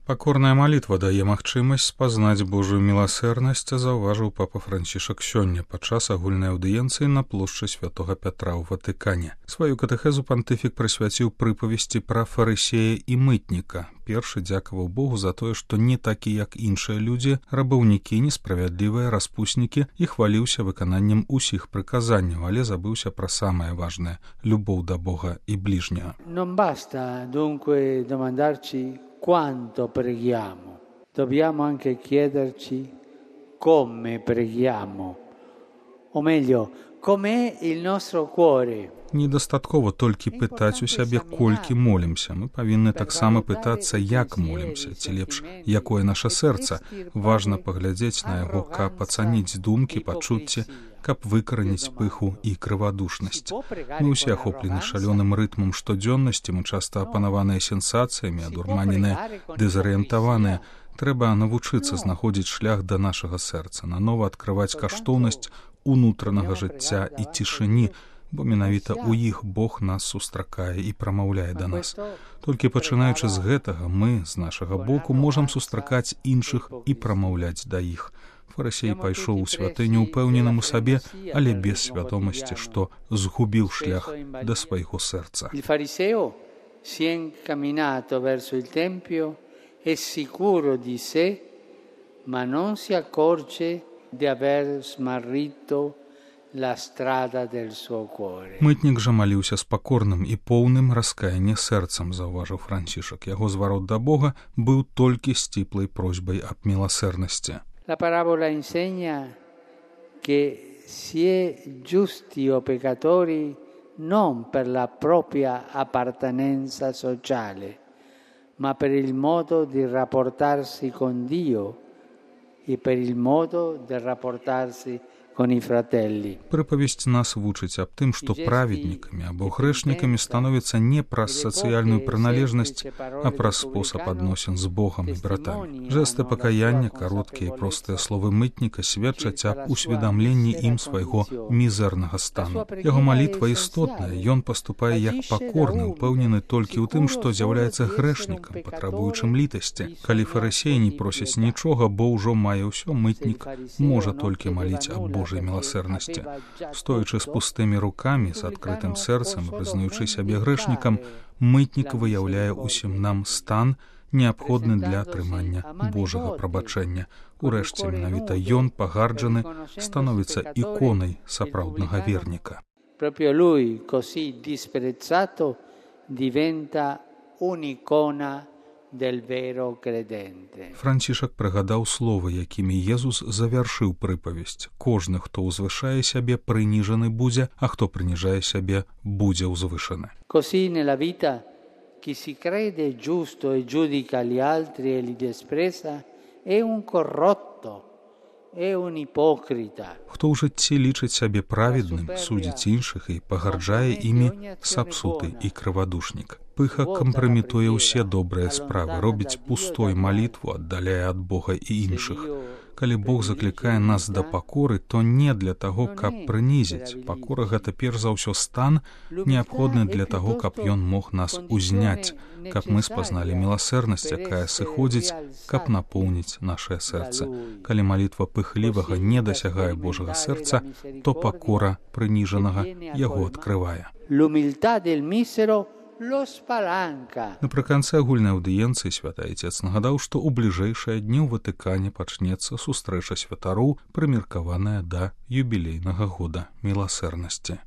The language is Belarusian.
Пакорная малітва дае магчымасць спазнаць Божую міласэрнасць, заўважыў папа Францішак сёння падчас агульнай аўдыенцыі на плошчы Святога Пятра ў Ватыкане. Сваю катэхезу пантыфік прысвяціў прыпавесці пра фарысея і мытніка. Першы дзякаваў Богу за тое, што не такі, як іншыя людзі, рабаўнікі, несправядлівыя, распуснікі, і хваліўся выкананнем усіх прыказанняў, але забыўся пра самае важнае – любоў да Бога і бліжняга. Non basta dunque domandarci quanto preghiamo, dobbiamo anche chiederci come preghiamo, o meglio, com'è il nostro cuore. Недастаткова толькі пытаць у сябе, колькі молімся. Мы павінны таксама пытацца, як молімся, ці лепш, якое наша сэрца. Важна паглядзець на яго, каб ацаніць думкі, пачуцці, каб выкараніць пыху і крывадушнасць. Мы ўсе ахоплены шалёным рытмам штодзённасці, мы часта апанаваныя сенсацыямі, адурманеныя, дэзарыентаваныя. Трэба навучыцца знаходзіць шлях да нашага сэрца, нанова адкрываць каштоўнасць унутранага жыцця і цішыні, бо менавіта ў іх Бог нас сустракае і прамаўляе да нас. Толькі пачынаючы з гэтага, мы, з нашага боку, можам сустракаць іншых і прамаўляць да іх. Фарысей пайшоў у святыню упэўненым у сабе, але без свядомасці, што згубіў шлях да свайго сэрца. Il fariseo si è incamminato verso il tempio, è sicuro di sé, ma non si accorge di aver smarrito la strada del suo cuore. Мытнік жа маліўся з пакорным і поўным раскаяння сэрцам, заўважыў Францішак. Яго зварот да Бога быў толькі сціплай просьбай аб міласэрнасці. La parabola insegna che si è giusti o peccatori non per la propria appartenenza sociale, ma per il modo di rapportarsi con Dio e per il modo di rapportarsi con i fratelli. Прыпавесць нас вучыць аб тым, што праведнікамі або грэшнікамі становіцца не праз сацыяльную прыналежнасць, а праз спосаб адносін з Богам і братамі. Жэсты пакаяння, кароткія і простыя словы мытніка сведчаць аб усведамленні ім свайго мізэрнага стану. Яго малітва істотная, ён паступае як пакорны, упэўнены толькі ў тым, што з'яўляецца грэшнікам, патрабуючым літасці. Калі фарысей не просіць нічога, бо ўжо мае ўсё, мытнік можа толькі маліць аб Божай міласэрнасці. Стоячы з пустымі рукамі, з адкрытым сэрцам, прызнаючы сябе грэшнікам, мытнік выяўляе усім нам стан, неабходны для атрымання Божага прабачэння. Урэшце, менавіта ён, пагарджаны, становіцца іконай сапраўднага верніка. Proprio lui, così disprezzato, diventa un'icona del vero credente. Францішак прыгадаў словы, якімі Езус завяршыў прыпавесць. Кожны, хто ўзвышае сябе, прыніжаны будзе, а хто прыніжае сябе, будзе ўзвышаны. Così nella vita chi si crede giusto e giudica gli altri e li desprezza è un corrotto, è un ipocrita. Хто ў жыцці лічыць сябе праведным, судзіць іншых і пагарджае імі, сапсуты і крывадушнік. Пыха кампрамітуе ўсе добрыя справы, робіць пустой малітву, аддаляе ад Бога і іншых. Калі Бог заклікае нас да пакоры, то не для таго, каб прынізіць. Пакора – гэта перш за ўсё стан, неабходны для таго, каб ён мог нас узняць, каб мы спазналі міласэрнасць, якая сыходзіць, каб напоўніць нашае сэрца. Калі малітва пыхлівага не дасягае Божага сэрца, то пакора прыніжанага яго адкрывае. L'umiltà del misero lo spalanca. Напрыканцы агульнай аўдыенцыі святы Айцец нагадаў, што ў бліжэйшыя дні ў Ватыкане пачнецца сустрэча святароў, прымеркаваная да юбілейнага года міласэрнасці.